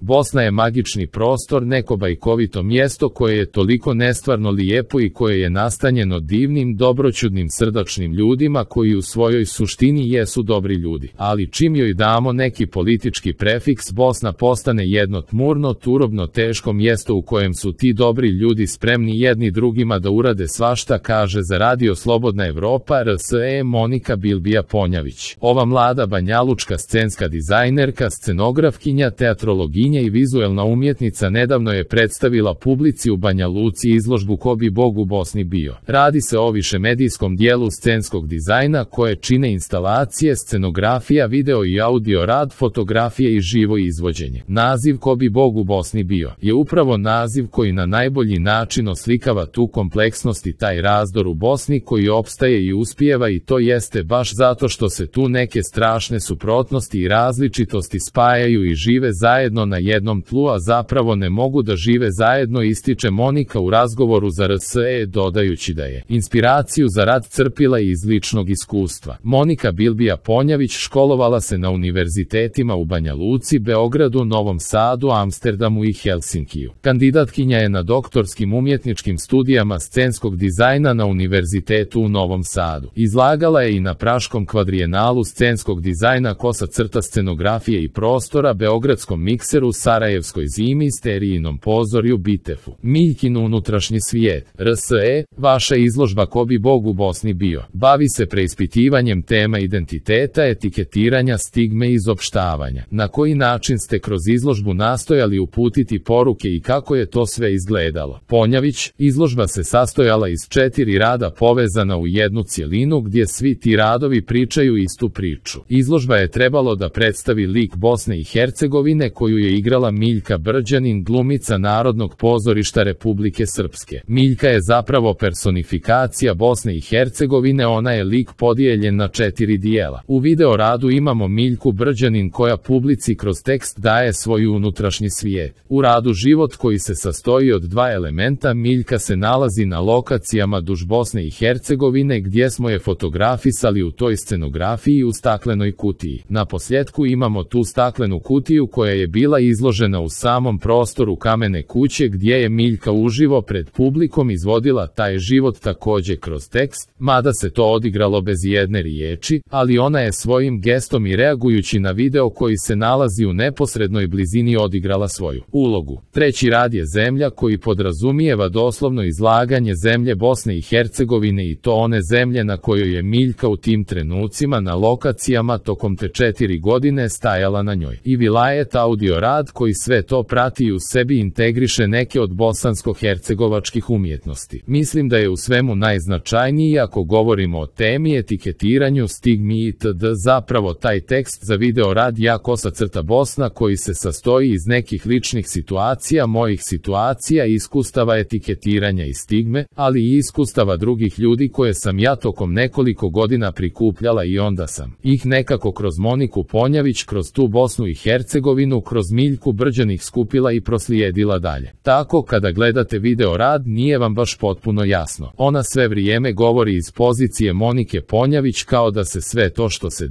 Bosna je magični prostor, neko bajkovito mjesto koje je toliko nestvarno lijepo i koje je nastanjeno divnim, dobroćudnim, srdačnim ljudima koji u svojoj suštini jesu dobri ljudi. Ali čim joj damo neki politički prefiks, Bosna postane jedno tmurno, turobno, teško mjesto u kojem su ti dobri ljudi spremni jedni drugima da urade svašta, kaže za Radio Slobodna Evropa RSE Monika Bilbija Ponjavić. Ova mlada banjalučka scenska dizajnerka, scenografkinja, teatrologinja i vizuelna umjetnica nedavno je predstavila publici u Banja Luci izložbu Ko bi Bog u Bosni bio. Radi se o višemedijskom dijelu scenskog dizajna koje čine instalacije, scenografija, video i audio rad, fotografije i živo izvođenje. Naziv Ko bi Bog u Bosni bio je upravo naziv koji na najbolji način oslikava tu kompleksnost i taj razdor u Bosni koji opstaje i uspijeva, i to jeste baš zato što se tu neke strašne suprotnosti i različitosti spajaju i žive zajedno na jednom tlu, a zapravo ne mogu da žive zajedno, ističe Monika u razgovoru za RSE, dodajući da je inspiraciju za rad crpila iz ličnog iskustva. Monika Bilbija Ponjavić školovala se na univerzitetima u Banja Luci, Beogradu, Novom Sadu, Amsterdamu i Helsinkiju. Kandidatkinja je na doktorskim umjetničkim studijama scenskog dizajna na Univerzitetu u Novom Sadu. Izlagala je i na Praškom kvadrijenalu scenskog dizajna Kosa crta scenografije i prostora, Beogradskom mikseru, Sarajevskoj zimi, Sterijinom pozorju, Bitefu. Miljkin unutrašnji svijet. RSE, vaša izložba Ko bi Bog u Bosni bio bavi se preispitivanjem tema identiteta, etiketiranja, stigme i izopštavanja. Na koji način ste kroz izložbu nastojali uputiti poruke i kako je to sve izgledalo? Ponjavić, izložba se sastojala iz 4 rada povezana u jednu cjelinu gdje svi ti radovi pričaju istu priču. Izložba je trebalo da predstavi lik Bosne i Hercegovine koju je igrala Miljka Brđanin, glumica Narodnog pozorišta Republike Srpske. Miljka je zapravo personifikacija Bosne i Hercegovine, ona je lik podijeljen na 4 dijela. U video radu imamo Miljku Brđanin koja publici kroz tekst daje svoj unutrašnji svijet. U radu Život, koji se sastoji od 2 elementa, Miljka se nalazi na lokacijama duž Bosne i Hercegovine gdje smo je fotografisali u toj scenografiji u staklenoj kutiji. Na posljedku imamo tu staklenu kutiju koja je bila izložena u samom prostoru Kamene kuće gdje je Miljka uživo pred publikom izvodila taj život također kroz tekst, mada se to odigralo bez jedne riječi, ali ona je svojim gestom i reagujući na video koji se nalazi u neposrednoj blizini odigrala svoju ulogu. Treći rad je Zemlja, koji podrazumijeva doslovno izlaganje zemlje Bosne i Hercegovine, i to one zemlje na kojoj je Miljka u tim trenucima na lokacijama tokom te 4 godine stajala na njoj. I vilajet audio rad koji sve to prati i u sebi integriše neke od bosansko-hercegovačkih umjetnosti. Mislim da je u svemu najznačajniji, ako govorimo o temi, etiketiranju, stigmi itd. zapravo taj tekst za video rad Ja Kosa crta Bosna, koji se sastoji iz nekih ličnih situacija, mojih situacija, iskustava etiketiranja i stigme, ali i iskustava drugih ljudi koje sam ja tokom nekoliko godina prikupljala i onda sam ih nekako kroz Moniku Ponjavić, kroz tu Bosnu i Hercegovinu, kroz Miljku Brđanih skupila i proslijedila dalje. Tako kada gledate video rad nije vam baš potpuno jasno. Ona sve vrijeme govori iz pozicije Monike Ponjavić kao da se sve to što se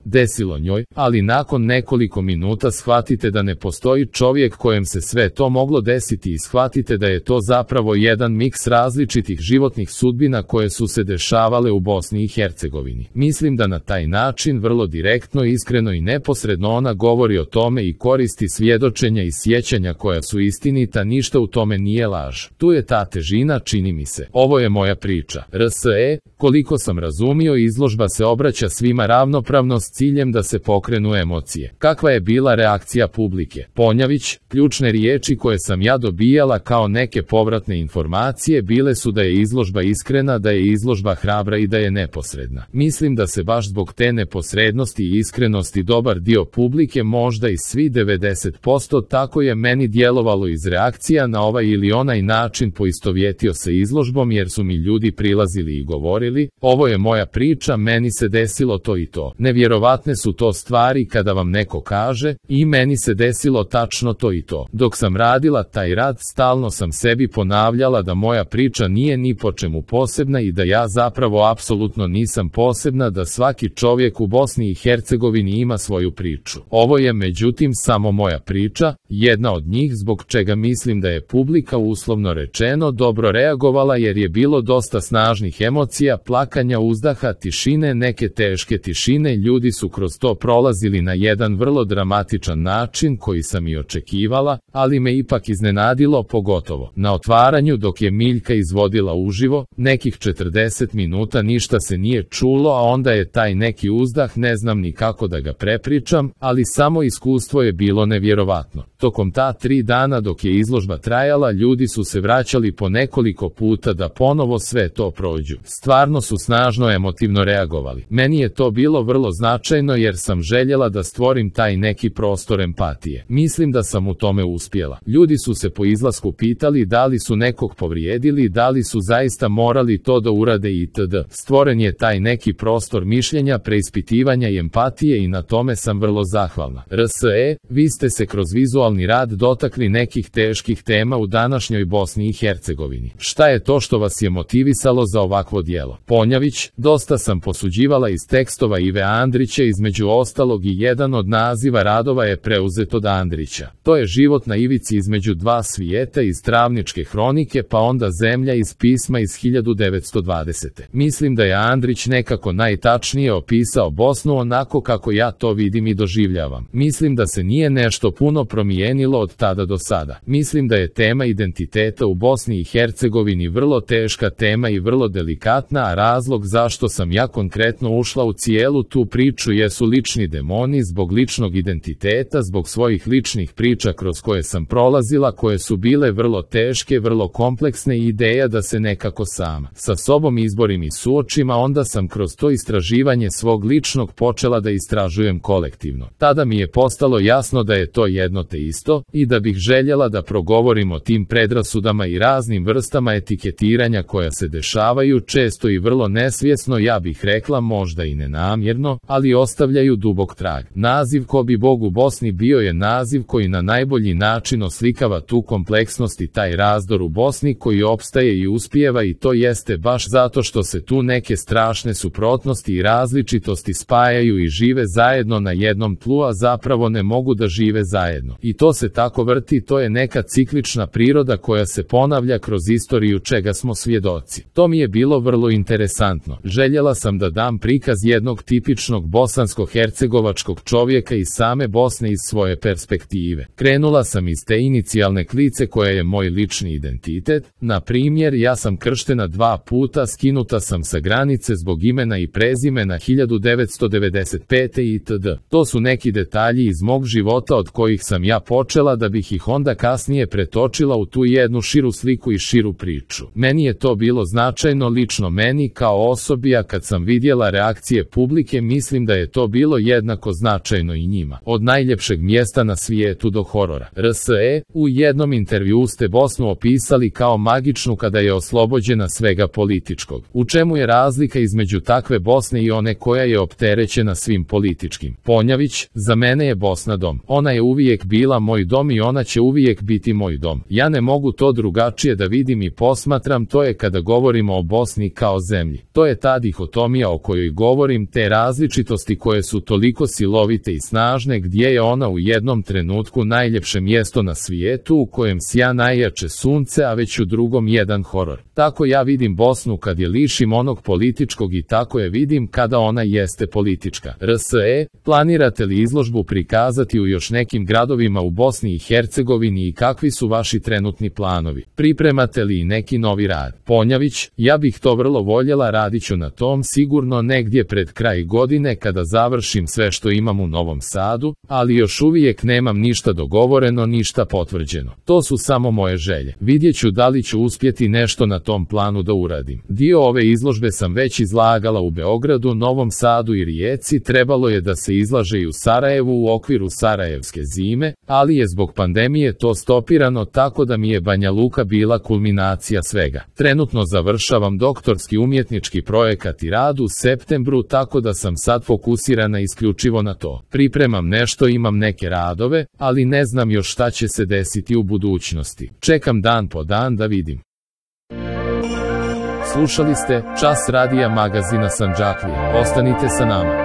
desilo njoj, ali nakon nekoliko minuta shvatite da ne postoji čovjek kojem se sve to moglo desiti i shvatite da je to zapravo jedan miks različitih životnih sudbina koje su se dešavale u Bosni i Hercegovini. Mislim da na taj način vrlo direktno, iskreno i neposredno ona govori o tome i koristi svjedočenja i sjećanja koja su istinita, ništa u tome nije laž. Tu je ta težina, čini mi se. Ovo je moja priča. RSE, koliko sam razumio, izložba se obraća svima ravnopravno s ciljem da se pokrenu emocije. Kakva je bila reakcija publike? Ponjavić, ključne riječi koje sam ja dobijala kao neke povratne informacije bile su da je izložba iskrena, da je izložba hrabra i da je neposredna. Mislim da se baš zbog te neposrednosti i iskrenosti dobar dio publike, možda i svi 90%, tako je meni djelovalo iz reakcija na ovaj ili onaj način, poistovjetio se izložbom jer su mi ljudi prilazili i govorili, ovo je moja priča, meni se desilo to i to. Nevjerovatne su to stvari kada vam neko kaže, i meni se desilo tačno to i to. Dok sam radila taj rad, stalno sam sebi ponavljala da moja priča nije ni po čemu posebna i da ja zapravo apsolutno nisam posebna, da svaki čovjek u Bosni i Hercegovini ima svoju priču. Ovo je međutim samo moja moja priča, jedna od njih zbog čega mislim da je publika uslovno rečeno dobro reagovala jer je bilo dosta snažnih emocija, plakanja, uzdaha, tišine, neke teške tišine, ljudi su kroz to prolazili na jedan vrlo dramatičan način koji sam i očekivala, ali me ipak iznenadilo pogotovo. Na otvaranju dok je Miljka izvodila uživo, nekih 40 minuta ništa se nije čulo, a onda je taj neki uzdah, ne znam ni kako da ga prepričam, ali samo iskustvo je bilo nevjerovatno. Tokom ta 3 dana dok je izložba trajala, ljudi su se vraćali po nekoliko puta da ponovo sve to prođu. Stvarno su snažno emotivno reagovali. Meni je to bilo vrlo značajno jer sam željela da stvorim taj neki prostor empatije. Mislim da sam u tome uspjela. Ljudi su se po izlasku pitali da li su nekog povrijedili, da li su zaista morali to da urade itd. Stvoren je taj neki prostor mišljenja, preispitivanja i empatije i na tome sam vrlo zahvalna. RSE, vi ste se kroz vizualni rad dotakli nekih teških tema u današnjoj Bosni i Hercegovini. Šta je to što vas je motivisalo za ovakvo djelo? Ponjavić, dosta sam posuđivala iz tekstova Ive Andrića, između ostalog i jedan od naziva radova je preuzet od Andrića. To je život na ivici između dva svijeta iz Travničke hronike, pa onda Zemlja iz pisma iz 1920. Mislim da je Andrić nekako najtačnije opisao Bosnu onako kako ja to vidim i doživljavam. Mislim da se nije nešto puno promijenilo od tada do sada. Mislim da je tema identiteta u Bosni i Hercegovini vrlo teška tema i vrlo delikatna, a razlog zašto sam ja konkretno ušla u cijelu tu priču jesu lični demoni zbog ličnog identiteta, zbog svojih ličnih priča kroz koje sam prolazila, koje su bile vrlo teške, vrlo kompleksne i ideja da se nekako sama sa sobom izborim i suočim, a onda sam kroz to istraživanje svog ličnog počela da istražujem kolektivno. Tada mi je postalo jasno da je to jedno te isto i da bih željela da progovorim o tim predrasudama i raznim vrstama etiketiranja koja se dešavaju često i vrlo nesvjesno, ja bih rekla možda i nenamjerno, ali ostavljaju dubok trag. Naziv Ko bi Bog u Bosni bio je naziv koji na najbolji način oslikava tu kompleksnost i taj razdor u Bosni koji opstaje i uspijeva, i to jeste baš zato što se tu neke strašne suprotnosti i različitosti spajaju i žive zajedno na jednom tlu, a zapravo ne mogu da žive zajedno. I to se tako vrti, to je neka ciklična priroda koja se ponavlja kroz istoriju čega smo svjedoci. To mi je bilo vrlo interesantno. Željela sam da dam prikaz jednog tipičnog bosansko-hercegovačkog čovjeka iz same Bosne iz svoje perspektive. Krenula sam iz te inicijalne klice koja je moj lični identitet. Na primjer, ja sam krštena 2 puta, skinuta sam sa granice zbog imena i prezimena 1995. itd. To su neki detalji iz mog života od kojih sam ja počela da bih ih onda kasnije pretočila u tu jednu širu sliku i širu priču. Meni je to bilo značajno lično meni kao osobi, a kad sam vidjela reakcije publike mislim da je to bilo jednako značajno i njima. Od najljepšeg mjesta na svijetu do horora. RSE, u jednom intervjuu ste Bosnu opisali kao magičnu kada je oslobođena svega političkog. U čemu je razlika između takve Bosne i one koja je opterećena svim političkim? Ponjavić, za mene je Bosna dom. Ona je uvijek bila moj dom i ona će uvijek biti moj dom. Ja ne mogu to drugačije da vidim i posmatram, to je kada govorimo o Bosni kao zemlji. To je ta dihotomija o kojoj govorim, te različitosti koje su toliko silovite i snažne, gdje je ona u jednom trenutku najljepše mjesto na svijetu u kojem sja najjače sunce, a već u drugom jedan horor. Tako ja vidim Bosnu kad je lišim onog političkog i tako je vidim kada ona jeste politička. RSE, planirate li izložbu prikazati u još nekim gradovima u Bosni i Hercegovini i kakvi su vaši trenutni planovi? Pripremate li i neki novi rad? Ponjavić, ja bih to vrlo voljela, radit ću na tom sigurno negdje pred kraj godine kada završim sve što imam u Novom Sadu, ali još uvijek nemam ništa dogovoreno, ništa potvrđeno. To su samo moje želje. Vidjet ću da li ću uspjeti nešto na tom planu da uradim. Dio ove izložbe sam već izlagala u Beogradu, Novom Sadu i Rijeci, trebalo je da se izlaže i u Sarajevu u okviru Sarajevske zime, ali je zbog pandemije to stopirano, tako da mi je Banja Luka bila kulminacija svega. Trenutno završavam doktorski umjetnički projekat i rad u septembru, tako da sam sad fokusirana isključivo na to. Pripremam nešto, imam neke radove, ali ne znam još šta će se desiti u budućnosti. Čekam dan po dan da vidim. Slušali ste Čas radija magazina Sandžaklije. Ostanite sa nama.